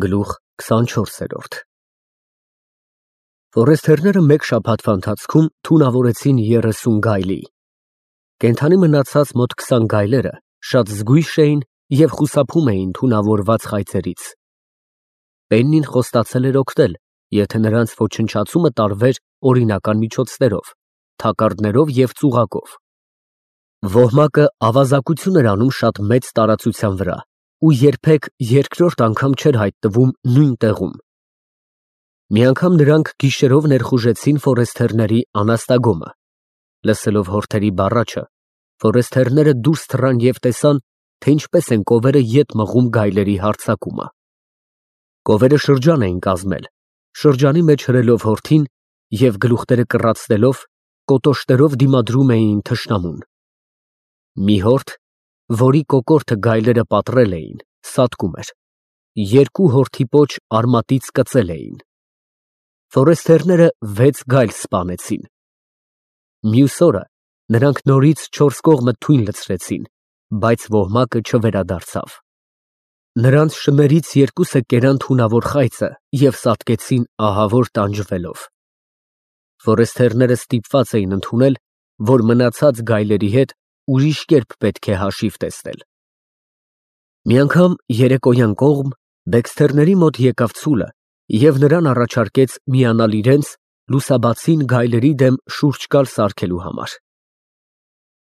Գլուխ 24։ Ֆորեստերները մեկ շաբաթվա ընթացքում թունավորեցին 30 գայլի։ Կենդանի մնացած մոտ 20 գայլերը շատ զգույշ էին և խուսափում էին թունավորված խայծերից։ Պեննին խոստացել էր օգնել, եթե նրանց ոչնչացումը տարվեր օրինական միջոցներով, թակարդներով և ծուղակով։ Ոհմակը ավազակություն էր անում շատ մեծ տարածության վրա ու երբեք երկրորդ անգամ չէր հայտնվում նույն տեղում։ Մի անգամ նրանք գիշերով ներխուժեցին ֆորեստերների անաստագոմը։ Լսելով հորթերի բառաչը, ֆորեստերները դուրս թռան և տեսան, թե ինչպես են կովերը ետ մղում գայլերի հարձակումը։ Կովերը շրջան էին կազմել, շրջանի մեջ հրելով հորթին և գլուխները կռացնելով, կոտոշներով դիմադրում էին թշնամուն։ Մի հորթ, որի կոկորդը գայլերը պատռել էին, սատկում էր, երկու հորթի պոչ արմատից կծել էին։ Ֆորեստերները 6 գայլ սպանեցին։ Մյուս օրը նրանք նորից 4 կողմը թույն լցրեցին, բայց ոհմակը չվերադարձավ։ Նրանց շներից երկուսը կերան թունավոր խայծը և սատկեցին ահավոր տանջվելով։ Ֆորեստերները ստիպված էին ընդունել, որ մնացած գայլերի հետ ուրիշ կերպ պետք է հաշիվ տեսնել։ Մի անգամ երեկոյան կողմ բեքսթերների մոտ եկավ ցուլը և նրան առաջարկեց միանալ իրենց լուսաբացին գայլերի դեմ շուրջ կալ սարքելու համար։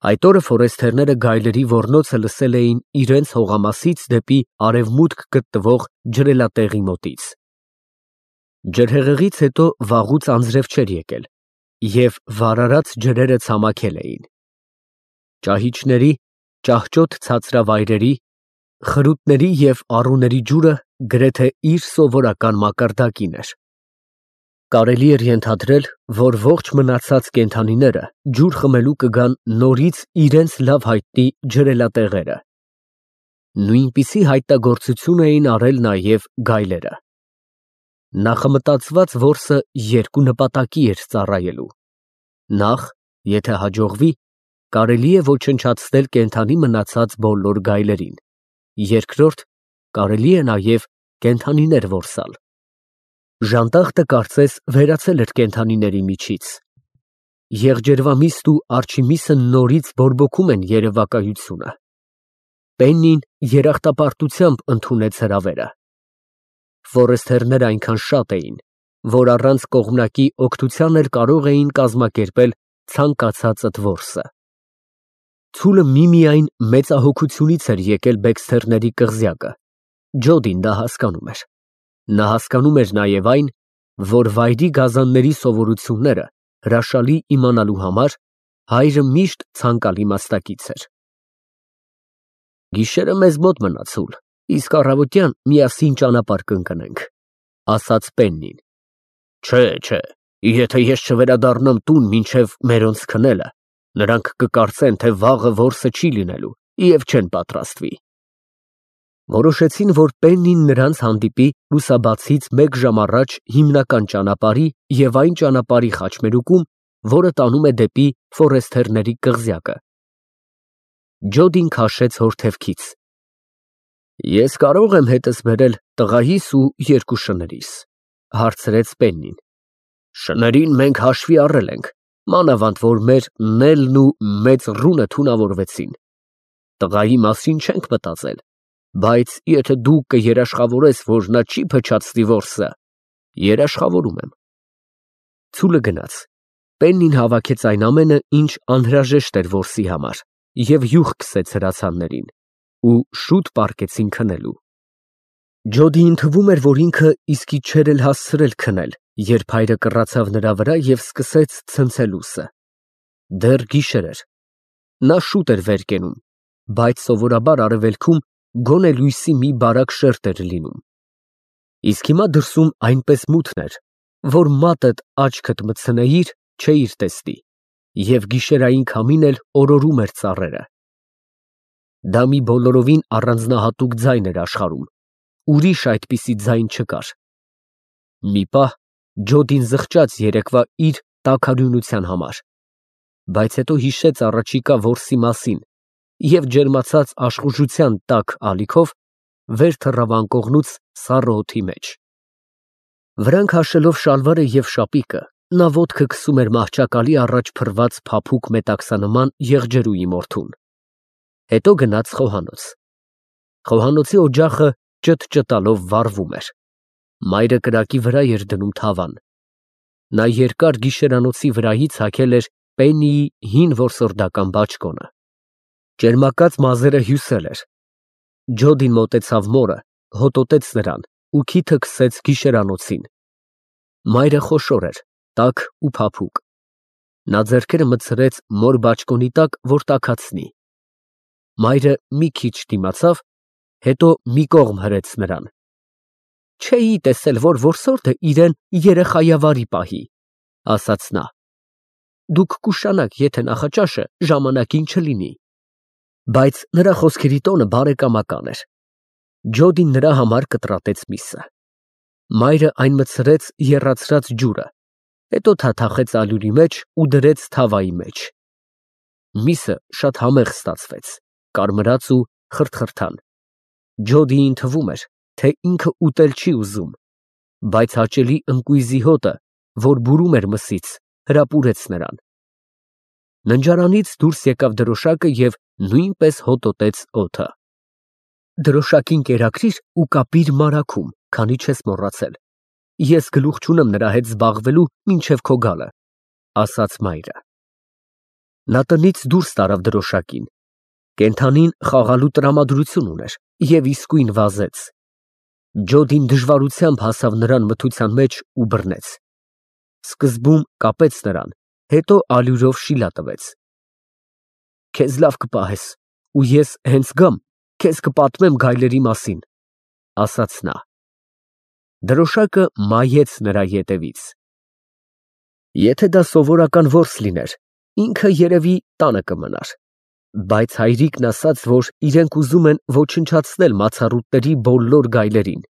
Այդ օրը ֆորեստերները գայլերի ոռնոցը լսել էին իրենց հողամասից դեպի արևմուտք գտնվող ջրելատեղի մոտից։ Ջրհեղեղից հետո վաղուց անձրև չէր եկել, և վարարած ջրերը ցամաքել էին։ Ճահիճների, ճահճոտ ցածրավայրերի, խրութների և առուների ջուրը գրեթե իր սովորական մակարդակին էր։ Կարելի էր ենթադրել, որ ողջ մնացած կենդանիները ջուր խմելու կգան նորից իրենց լավ հայտնի ջրելատեղերը։ Նույնպիսի հայտնագործություն էին արել նաև գայլերը։ Նախամտածված որսը երկու նպատակի էր ծառայելու։ Նախ, եթե հաջողվի, կարելի է ոչնչացնել կենդանի մնացած բոլոր գայլերին, երկրորդ, կարելի է նաև կենդանիներ որսալ։ Ժանտախտը կարծես վերացել էր կենդանիների միջից։ Եղջերվամիստ ու արջիմիսը նորից բորբոքում են երևակայությունը։ Պեննին երախտապարտությամբ ընդունեց հրավերը։ Ֆորեստերները այնքան շատ էին, որ առանց կողմնակի օգնության էլ կարող էին կազմակերպել ցանկացածդ որսը։ Ցուլը միմիայն մեծահոգությունից էր եկել բեքսթերների կղզյակը։ Ջոդին դա հասկանում էր։ Նա հասկանում էր նաև այն, որ վայրի գազանների սովորությունները հրաշալի իմանալու համար հայրը միշտ ցանկալի մասնակից էր։ Գիշերը մեզ մոտ մնա, ցուլ, իսկ առավոտյան միասին ճանապարհ կընկնենք, ասաց Պեննին։ Չէ, եթե ես չվերադառնամ տուն մինչև մերոնց քնելը, նրանք կկարծեն, թե վաղը որսը չի լինելու և չեն պատրաստվի։ Որոշեցին, որ Պեննին նրանց հանդիպի լուսաբացից մեկ ժամ առաջ հիմնական ճանապարհի և այն ճանապարհի խաչմերուկում, որը տանում է դեպի ֆորեստերների կղզյակը։ Ջոդին քաշեց հորթևքից։ Ես կարող եմ հետս բերել տղայիս ու 2 շներիս, հարցրեց Պեննին։ Շներին մենք հաշվի առել ենք, մանավանդ որ մեր Նելն ու մեծ ռունը թունավորվեցին։ Տղայի մասին չենք մտածել, բայց եթե դու կերաշխավորես, որ նա չի փչացնի որսը, երաշխավորում եմ։ Ցուլը գնաց։ Պեննին հավաքեց այն ամենը, ինչ անհրաժեշտ էր որսի համար, և յուղ քսեց հրացաններին, ու շուտ պառկեցին քնելու։ Ջոդիին թվում էր, որ ինքը իսկի չէր էլ հասցրել քնել, երբ հայրը կռացավ նրա վրա և սկսեց ցնցելուսը։ Դեռ գիշեր էր։ Նա շուտ էր վեր կենում, բայց սովորաբար արևելքում գոնե լույսի մի բարակ շերտ էր լինում։ Իսկ հիմա դրսում այնպես մութն էր, որ մատդ աչքդ մտցնեիր, չէիր տեսնի, և գիշերային քամին էլ օրորում էր ծառերը։ Դա մի բոլորովին առանձնահատուկ ձայն էր աշխարհում, ուրիշ այդպիսի ձայն չկար։ Մի պահ Ջոդին զղջաց երեկվա իր տաքարյունության համար, բայց հետո հիշեց առաջիկա որսի մասին և ջերմացած աշխուժության տաք ալիքով վեր թռավ անկողնուց սառը օդի մեջ։ Վրան քաշելով շալվարը և շապիկը, նա ոտքը քսում էր մահճակալի առաջ փռված փափուկ մետաքսանման եղջերուի մորթուն։ Հետո գնաց խոհանոց։ Խոհանոցի օջախը ճթ-ճթալով վառվում էր։ Մայրը կրակի վրա էր դնում թավան։ Նա երկար գիշերանոցի վրայից հագել էր Պեննիի հին որսորդական բաճկոնը։ Ճերմակած մազերը հյուսել էր։ Ջոդին մոտեցավ մորը, հոտոտեց նրան ու քիթը քսեց գիշերանոցին։ Մայրը խոշոր էր, տաք ու փափուկ։ Նա ձեռքերը մտցրեց մոր բաճկոնի տակ, որ տաքացնի։ Մայրը մի քիչ դիմացավ, հետո մի կողմ հրեց նրան։ Չէի տեսել, որ որսորդը իրեն երեխայավարի պահի, ասաց նա։ Դուք կուշանաք, եթե նախաճաշը ժամանակին չլինի։ Բայց նրա խոսքերի տոնը բարեկամական էր։ Ջոդին նրա համար կտրատեց միսը։ Մայրը այն մտցրեց եռացրած ջուրը, հետո թաթախեց ալյուրի մեջ ու դրեց թավայի մեջ։ Միսը շատ համեղ ստացվեց, կարմրած ու խրթխրթան։ Ջոդիին թվում էր, թե ինքը ուտել չի ուզում, բայց հաճելի ընկույզի հոտը, որ բուրում էր մսից, հրապուրեց նրան։ Ննջարանից դուրս եկավ դրոշակը և նույնպես հոտոտեց օդը։ Դրոշակին կերակրիր ու կապիր մարագում, քանի չես մոռացել։ Ես գլուխ չունեմ նրա հետ զբաղվելու մինչև քո գալը, ասաց մայրը։ Նա տնից դուրս տարավ դրոշակին։ Կենդանին խաղալու տրամադրություն ուներ և իսկույն վազեց։ Ջոդին դժվարությամբ հասավ նրան մթության մեջ ու բռնեց։ Սկզբում կապեց նրան, հետո ալյուրով շիլա տվեց։ Քեզ լավ կպահես, ու ես հենց գամ, քեզ կպատմեմ գայլերի մասին, ասաց նա։ Դրոշակը մայեց նրա ետևից։ Եթե դա սովորական որս լիներ, ինքը երևի տանը կմնար, բայց հայրիկն ասաց, որ իրենք ուզում են ոչնչացնել մացառուտների բոլոր գայլերին,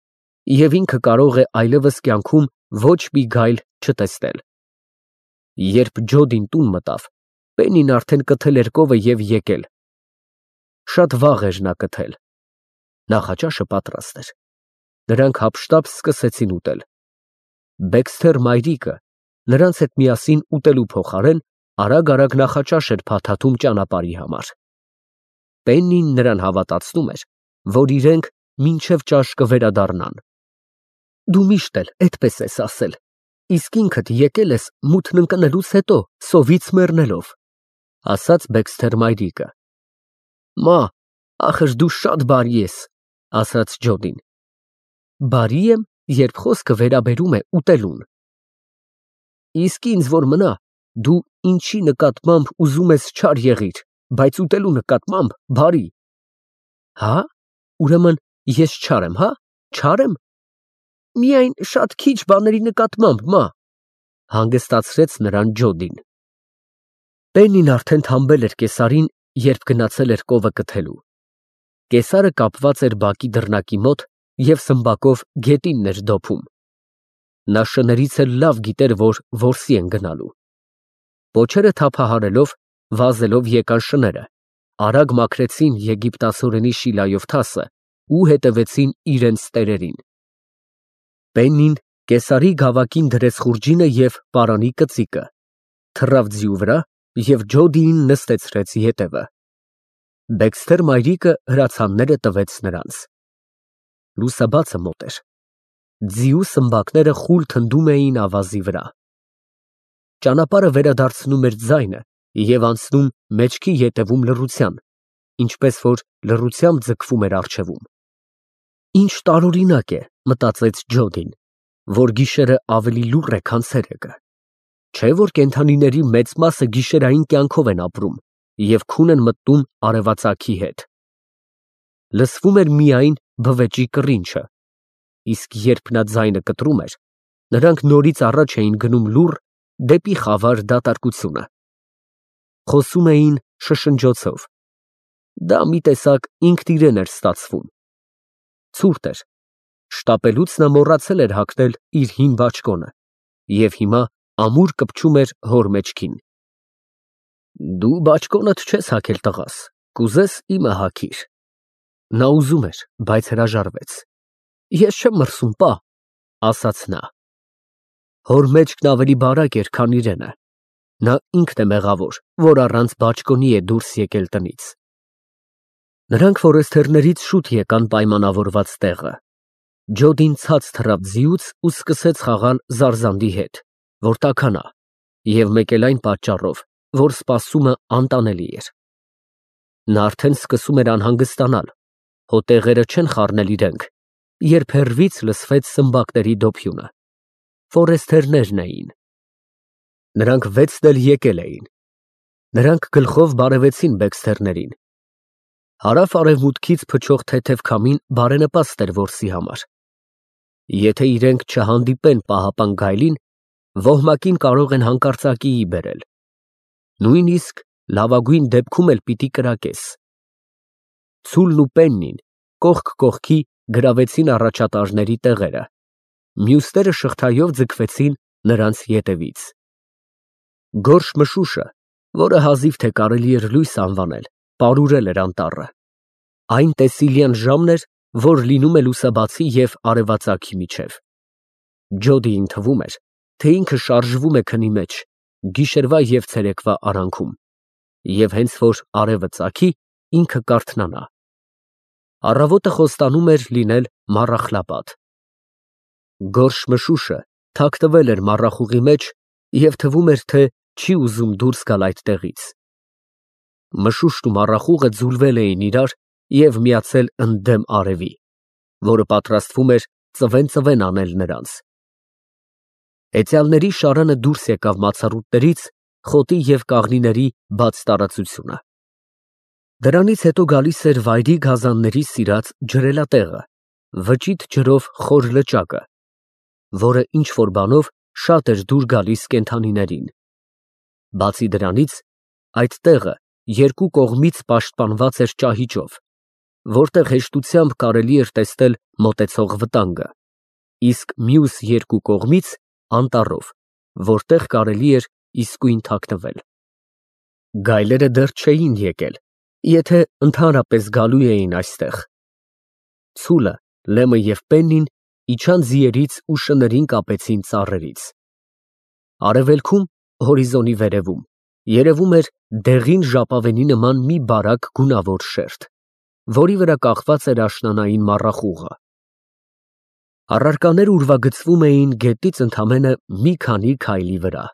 և ինքը կարող է այլևս կյանքում ոչ մի գայլ չտեսնել։ Երբ Ջոդին տուն մտավ, Պեննին արդեն կթել էր կովը և եկել։ Շատ վաղ էր նա կթել։ Նախաճաշը պատրաստ էր։ Նրանք հափշտապ սկսեցին ուտել։ Բեքսթեր մայրիկը նրանց հետ միասին ուտելու փոխարեն արագ նախաճաշ էր փաթաթում ճանապարհի համար։ Պեննին նրան հավատացնում էր, որ իրենք մինչև ճաշ կվերադառնան։ Դու միշտ էլ այդպես ես ասել, իսկ ինքդ եկել ես մութն ընկնելուց հետո սովից մեռնելով, ասաց Բեքսթեր մայրիկը։ Մա, ախր դու շատ բարի ես, ասաց Ջոդին։ Բարի եմ, երբ խոսքը վերաբերում է ուտելուն։ Իսկ ինձ որ մնա, դու ինչի նկատմամբ ուզում ես չար եղիր, բայց ուտելու նկատմամբ բարի։ Հա՞, ուրեմն ես չար եմ, հա՞, չար եմ։ Միայն շատ քիչ բաների նկատմամբ, մա, հանգստացրեց նրան Ջոդին։ Պեննին արդեն թամբել էր կեսարին, երբ գնացել էր կովը կթելու։ Կեսարը կապված էր բակի դռնակի մոտ և սմբակով գետինն էր դոփում։ Նա շներից էլ լավ գիտեր, որ որսի են գնալու։ Պոչերը թափահարելով, վազելով եկան շները, արագ մաքրեցին եգիպտացորենի շիլայով թասը ու հետևեցին իրենց տերերին։ Պեննին կեսարի գավակին դրեց խուրջինը և պարանի կծիկը, թռավ ձիու վրա և Ջոդիին նստեցրեց ետևը։ Բեքսթեր մայրիկը հրացանները տվեց նրանց։ Լուսաբացը մոտ էր։ Ձիու սմբակները խուլ թնդում էին ավազի վրա։ Ճանապարհը վերադարձնում էր ձայնը և անցնում մեջքի ետևում լռության, ինչպես որ լռությամբ ձգվում էր առջևում։ Ինչ տարօրինակ է, մտածեց Ջոդին, որ գիշերը ավելի լուռ է, քան ցերեկը։ Չէ՞ որ կենդանիների մեծ մասը գիշերային կյանքով են ապրում և քուն են մտնում արևածագի հետ։ Լսվում էր միայն բվեճի կռինչը, իսկ երբ նա ձայնը կտրում էր, նրանք նորից առաջ էին գնում լուռ դեպի խավար դատարկությունը։ Խոսում էին շշնջոցով։ Դա մի տեսակ ինքնիրեն էր ստացվում։ Ցուրտ էր։ Շտապելուց նա մոռացել էր հագնել իր հին բաճկոնը և հիմա ամուր կպչում էր հոր մեջքին։ Դու բաճկոնդ չես հագել, տղաս, կուզես իմը հագիր։ Նա ուզում էր, բայց հրաժարվեց։ Ես չեմ մրսում, պա, ասաց նա։ Հոր մեջքն ավելի բարակ էր, քան իրենը։ Նա ինքն է մեղավոր, որ առանց բաճկոնի է դուրս եկել տնից։ Նրանք ֆորեստերներից շուտ եկան պայմանավորված տեղը։ Ջոդին ցած թռավ ձիուց ու սկսեց խաղալ Զարզանդի հետ, որ տաքանա, և մեկ էլ այն պատճառով, որ սպասումը անտանելի էր։ Նա արդեն սկսում էր անհանգստանալ, հո տեղերը չեն խառնել իրենք, երբ հեռվից լսվեց սմբակների դոփյունը։ Ֆորեստերներն էին։ Նրանք վեցն էլ եկել էին։ Նրանք գլխով բարևեցին բեքսթերներին։ Հարավ֊արևմուտքից փչող թեթև քամին բարենպաստ էր որսի համար։ Եթե իրենք չհանդիպեն պահապան գայլին, ոհմակին կարող են հանկարծակիի բերել։ Նույնիսկ լավագույն դեպքում էլ պիտի կրակես։ Ցուլն ու Պեննին կողք կողքի գրավեցին առաջատարների տեղերը, մյուսները շղթայով ձգվեցին նրանց ետևից։ Գորշ մշուշը, որը հազիվ թե կարելի էր լույս անվանել, պարուրել էր անտառը։ Այն տեսիլյան ժամն էր, որ լինում է լուսաբացի և արևածագի միջև։ Ջոդիին թվում էր, թե ինքը շարժվում է քնի մեջ, գիշերվա և ցերեկվա արանքում, և հենց որ արևը ծագի, ինքը կարթնանա։ Առավոտը խոստանում էր լինել մառախլապատ։ Գորշ մշուշը թաքնվել էր մառախուղի մեջ և թվում էր, թե չի ուզում դուրս գալ այդտեղից։ Մշուշն ու մառախուղը ձուլվել էին իրար և միացել ընդդեմ արևի, որը պատրաստվում էր ծվեն անել նրանց։ Հեծյալների շարանը դուրս եկավ մացառուտներից խոտի և կաղնիների բաց տարածությունը։ Դրանից հետո գալիս էր վայրի գազանների սիրած ջրելատեղը, վճիտ ջրով խոր լճակը, որը ինչ֊որ բանով շատ էր դուր գալիս կենդանիներին։ Բացի դրանից, այդ տեղը երկու կողմից պաշտպանված էր ճահիճով, որտեղ հեշտությամբ կարելի էր տեսնել մոտեցող վտանգը, իսկ մյուս երկու կողմից անտառով, որտեղ կարելի էր իսկույն թաքնվել։ Գայլերը դեռ չէին եկել, եթե ընդհանրապես գալու էին այստեղ։ Ցուլը, Լեմը և Պեննին իջան ձիերից ու շներին կապեցին ծառերից։ Արևելքում, հորիզոնի վերևում, երևում էր դեղին ժապավենի նման մի բարակ գունավոր շերտ, որի վրա կախված էր աշնանային մառախուղը։ Առարկաները ուրվագծվում էին գետից ընդամենը մի քանի քայլի վրա։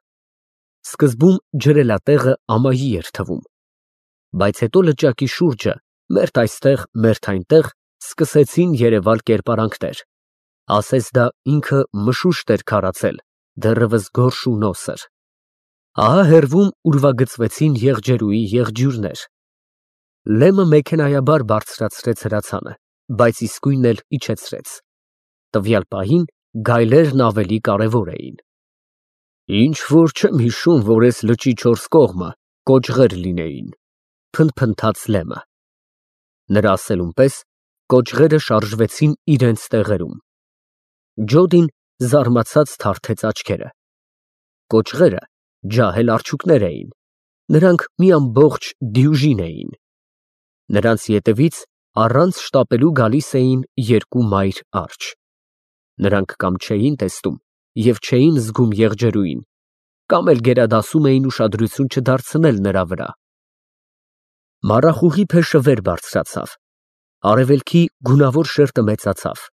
Սկզբում ջրելատեղը ամայի էր թվում, բայց հետո լճակի շուրջը, մերթ այստեղ, մերթ այնտեղ, սկսեցին երևալ կերպարանքներ, ասես դա ինքը մշուշտ էր քարացել, դեռևս գորշ ու նոսր։ Ահա հեռվում ուրվագծվեցին եղջերուի եղջյուրներ։ Լեմը մեքենայաբար բարձրացրեց հրացանը, բայց իսկույն էլ իջեցրեց։ Տվյալ պահին գայլերն ավելի կարևոր էին։ Ինչ որ չեմ հիշում, որ այս լճի չորս կողմը կոճղեր լինեին, փնթփնթաց Լեմը։ Նրա ասելուն պես կոճղերը շարժվեցին իրենց տեղերում։ Ջոդին զարմացած թարթեց աչքերը։ Կոճղերը ջահել արջուկներ էին, նրանք մի ամբողջ դյուժին էին։ Նրանց ետևից առանց շտապելու գալիս էին երկու մայր արջեր։ Նրանք կամ չէին տեսնում և չէին զգում եղջերուին, կամ էլ գերադասում էին ուշադրություն չդարձնել նրա վրա։ Մառախուղի փեշը վեր բարձրացավ, արևելքի գունավոր շերտը մեծացավ։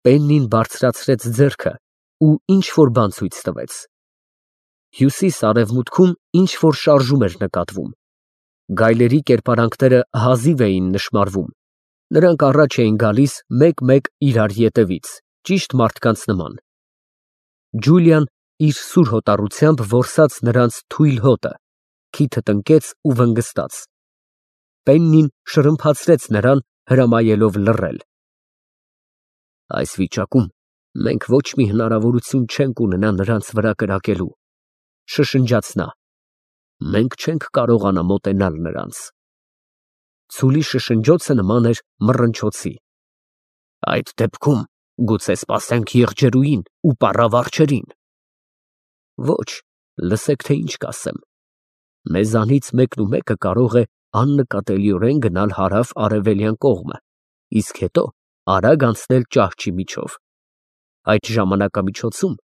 Պեննին բարձրացրեց ձեռքը ու ինչ֊որ բան ցույց տվեց։ Հյուսիս֊արևմուտքում ինչ֊որ շարժում էր նկատվում։ Գայլերի կերպարանքները հազիվ էին նշմարվում, նրանք առաջ էին գալիս մեկ֊մեկ իրար ետևից, ճիշտ մարդկանց նման։ Ջուլիան իր սուր հոտառությամբ որսաց նրանց թույլ հոտը, քիթը տնկեց ու վնգստաց։ Պեննին շրմփացրեց նրան, հրամայելով լռել։ Այս վիճակում մենք ոչ մի հնարավորություն չենք ունենա նրանց վրա կրակելու, շշնջաց նա։ Մենք չենք կարողանա մոտենալ նրանց։ Ցուլի շշնջոցը նման էր մռնչոցի։ Այդ դեպքում գուցե սպասենք եղջերուին ու պառավարջերին։ Ոչ, լսեք, թե ինչ կասեմ։ Մեզանից մեկն ու մեկը կարող է աննկատելիորեն գնալ հարավ֊արևելյան կողմը իսկ հետո արագ անցնել ճահճի միջով։ Այդ ժամանակամիջոցում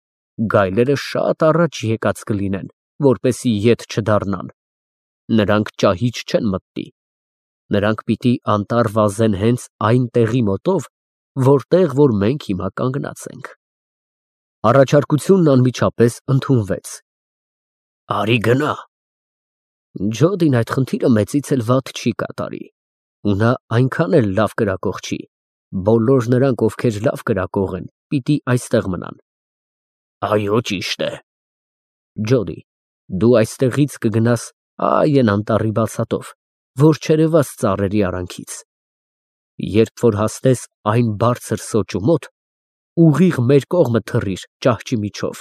գայլերը շատ առաջ եկած կլինեն, որպեսզի ետ չդառնան։ Նրանք ճահիճ չեն մտնի։ Նրանք պիտի անտառ վազեն հենց այն տեղի մոտով, որտեղ որ մենք հիմա կանգնած ենք։ Առաջարկությունն անմիջապես ընդունվեց։ Արի գնա։ Ջոդին այդ խնդիրը մեծից էլ վատ չի կատարի, ու նա այնքան էլ լավ կրակող չի։ Բոլոր նրանք, ովքեր լավ կրակող են, պիտի այստեղ մնան։ Այո, ճիշտ է։ Ջոդի, դու այստեղից կգնաս այն անտառի բացատով, որ չերևաց ծառերի արանքից։ Երբ որ հասնես այն բարձր սոճու մոտ, ուղիղ մեր կողմը թռիր ճահճի միջով։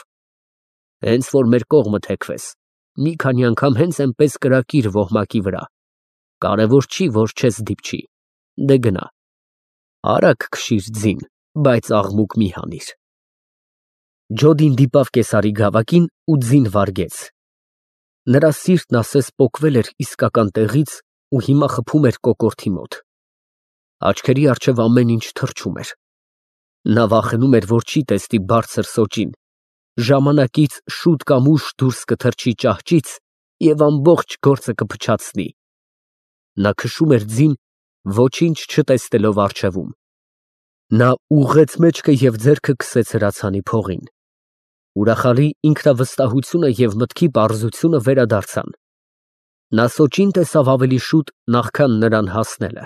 Հենց որ մեր կողմը թեքվես, մի քանի անգամ հենց այնպես կրակիր ոհմակի վրա։ Կարևոր չի, որ չես դիպչի։ Դե գնա։ Արագ քշիր ձին, բայց աղմուկ մի հանիր։ Ջոդին դիպավ կեսարի գավակին ու ձին վարգեց։ Նրա սիրտն ասես պոկվել էր իսկական տեղից ու հիմա խփում էր կոկորդի մոտ։ Աչքերի առջև ամեն ինչ թրջում էր։ Նա վախենում էր, որ չի տեսնի բարձր սոճին, ժամանակից շուտ կամ ուշ դուրս կթռչի ճահճից և ամբողջ գործը կփչացնի։ Նա քշում էր ձին, ոչինչ չտեսնելով առջևում։ Նա ուղղեց մեջքը և ձեռքը քսեց հրացանի փողին։ Ուրախալի ինքնավստահությունը և մտքի պարզությունը վերադարձան։ Նա սոճին տեսավ ավելի շուտ, նախքան նրան հասնելը։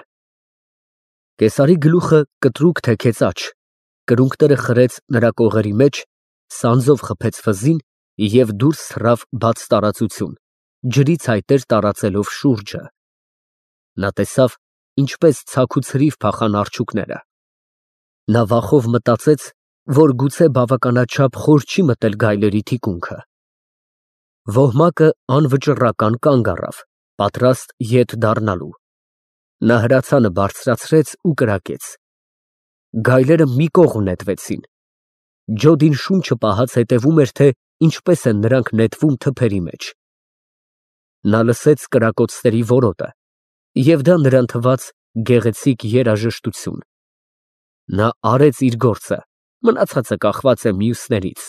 Կեսարի գլուխը կտրուկ թեքեց աջ, կրունկները խրեց նրա կողերի մեջ, սանձով խփեց վզին և դուրս թռավ բաց տարածություն, ջրի ցայտեր տարածելով շուրջը։ Նա տեսավ, ինչպես ցաք ու ցրիվ փախան արջուկները։ Նա վախով մտածեց, որ գուցե բավականաչափ խոր չի մտել գայլերի թիկունքը։ Ոհմակը անվճռական կանգ առավ, պատրաստ ետ դառնալու։ Նա հրացանը բարձրացրեց ու կրակեց։ Գայլերը մի կողմ նետվեցին։ Ջոդին շունչը պահած հետևում էր, թե ինչպես են նրանք նետվում թփերի մեջ։ Նա լսեց կրակոցների որոտը, և դա նրան թվաց գեղեցիկ երաժշտություն։ Նա արեց իր գործը, մնացածը կախված է մյուսներից։